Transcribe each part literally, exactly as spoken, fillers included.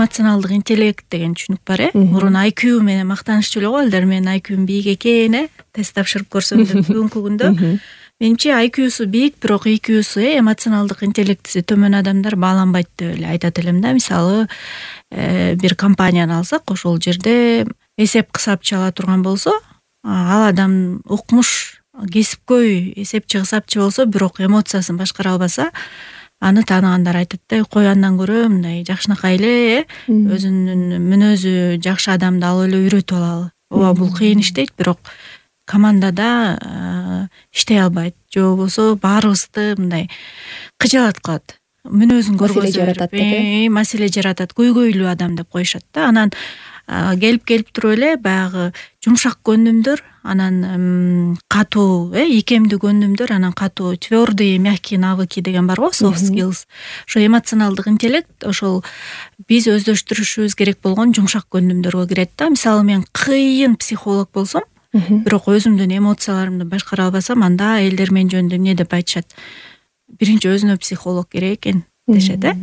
эмоционалдык интеллект деген түшүнүк бар э. Мурун ай кью менен мактанышчу эле го балдар, менин ай кьюм бийик экен э, тест тапшырып көрсөм деп. Бүгүнкү күндө менимче ай кьюсу бийик, бирок и кьюсу э, эмоционалдык интеллектиси төмөн адамдар бааланбайт деп эле айтат элем да. Мисалы, бир компанияны алсак, ошол жерде эсеп кысапчы ала турган болсо, ал адам укмуш, кесипкөй эсепчи кысапчы болсо, бирок эмоциясын башкара албаса, аны тааныгандар айтат да, кой андан көрө мындай жакшынакай эле э, өзүнүн мүнөзү жакшы адамды алып эле үйрөтүп алалы. Ооба, бул кыйын иш дейт, бирок командада иштей албайт, же болбосо баарыбызды мындай кыжаалат кылат. Мүнөзүн көргөзөт, маселе жаратат, көйгөйлүү адам деп коюшат да. Анан келип келип туруп эле баягы жумшак көндүмдөр, анан катуу, э, икемдүү көндүмдөр, анан катуу, твёрдые, мягкие навыки деген бар го, soft skills. Ошо эмоционалдык интеллект ошол биз өздөштүрүшүбүз керек болгон жумшак көндүмдөргө кирет да. Мисалы, мен кыйын психолог болсом, бирок өзүмдүн эмоцияларымды башкара албасам, анда элдер мен жөнүндө эмне деп айтышат? Биринчи өзүнө психолог керек экен дешет э.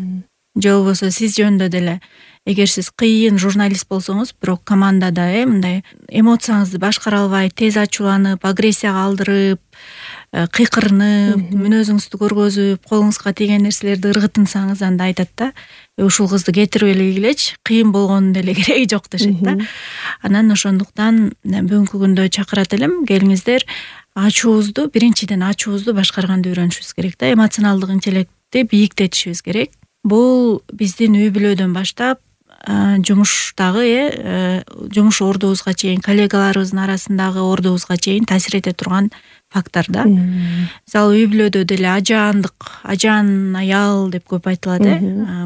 Же болбосо сиз жөнүндө деле, эгер сиз кыйын журналист болсоңуз, бирок командада э мындай эмоцияңызды башкара албай, тез ачууланып, агрессияга алдырып, кыйкырынып, мүнөзүңүздү көргөзүп, колуңузга тийген нерселерди ыргытынсаңыз, анда айтат да, ушул кызды кетирип эле ийгилечи, кыйын болгонун деле кереги жок дешет да. Анан ошондуктан бүгүнкү күндө чакырат элем, келиңиздер, ачуубузду, биринчиден ачуубузду башкарганды үйрөнүшүбүз керек да. Эмоционалдык интеллектти бийиктетишибиз керек. Бул биздин үй бүлөдөн баштап жумуштагы э жумуш ордубузга чейин, коллегаларыбыздын арасындагы ордубузга чейин таасир эте турган фактор да. Мисалы, үй бүлөдө деле ажаандык, ажаан аял деп көп айтылат э.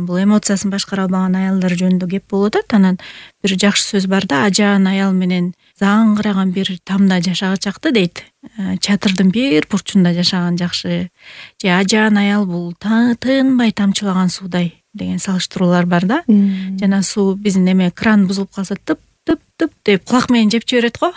Бул эмоциясын башкара албаган аялдар жөнүндө кеп болуп атат. Анан бир жакшы сөз бар да, ажаан аял менен заңгыраган бир тамда жашагачакты дейт. Чатырдын бир бурчунда жашаган жакшы. Же ажаан аял бул тынбай тамчылаган суудай деген салыштыруулар бар да. Жана суу биздин эме кран бузулуп калса, тып тып тып деп кулак менен жеп жиберет го.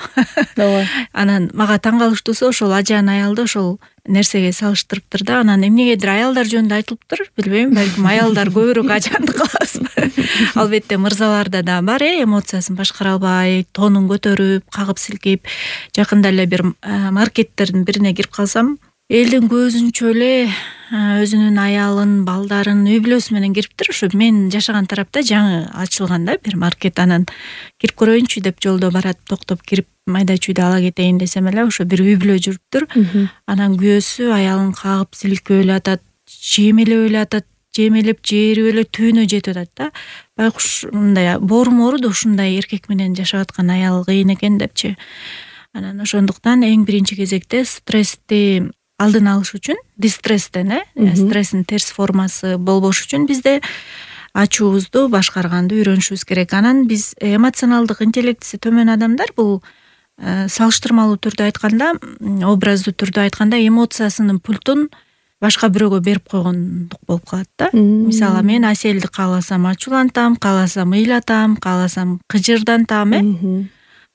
Ооба. Анан мага таң калыштуусу, ошол ажаан аялды ошол нерсеге салыштырыптыр да. Анан эмнегедир аялдар жөнүндө айтылыптыр, билбейм, балким аялдар көбүрөөк ажаандык кылабызбы. Албетте мырзаларда да бар э, эмоциясын башкара албай, тонун көтөрүп, кагып силкип. Жакында эле бир маркеттердин бирине кирип калсам, элдин көзүнчө эле өзүнүн аялын, балдарын, үй бүлөсү менен кириптир. Ошо мен жашаган тарапта жаңы ачылган да бир маркет. Анан кирип көрөйүнчү деп жолдо барат, токтоп кирип майда чүйдө ала кетейин десем эле, ошо бир үй бүлө жүрүптүр. Анан күйөөсү аялын кагып силкеп эле атат, жемелеп эле атат, жемелеп жээрип эле түбүнө жетип атат да. Байкуш мындай боору-моору ушундай эркек менен жашап аткан аял кыйын экен депчи. Анан ошондуктан эң биринчи кезекте стрессти алдын алыш үчүн, дистресстен э, стресстин терс формасы болбош үчүн бизде ачуубузду башкарганды үйрөнүшүбүз керек. Анан биз эмоционалдык интеллектиси төмөн адамдар бул салыштырмалуу түрдө айтканда, образдуу түрдө айтканда, эмоциясынын пультун башка бирөөгө берип койгондук болуп калат да. Мисалы, мен Аселди кааласам ачуулантам, кааласам ыйлатам, кааласам кыжырдантам э.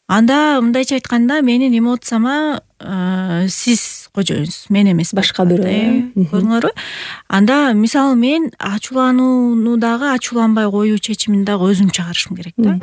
Анда мындайча айтканда, менин эмоцияма сиз кожоюңуз, мен эмес, башка бирөө. Көрдүңөрбү? Анда мисалы, мен ачууланууну дагы, ачууланбай коюу чечимин дагы өзүм чыгарышым керек да.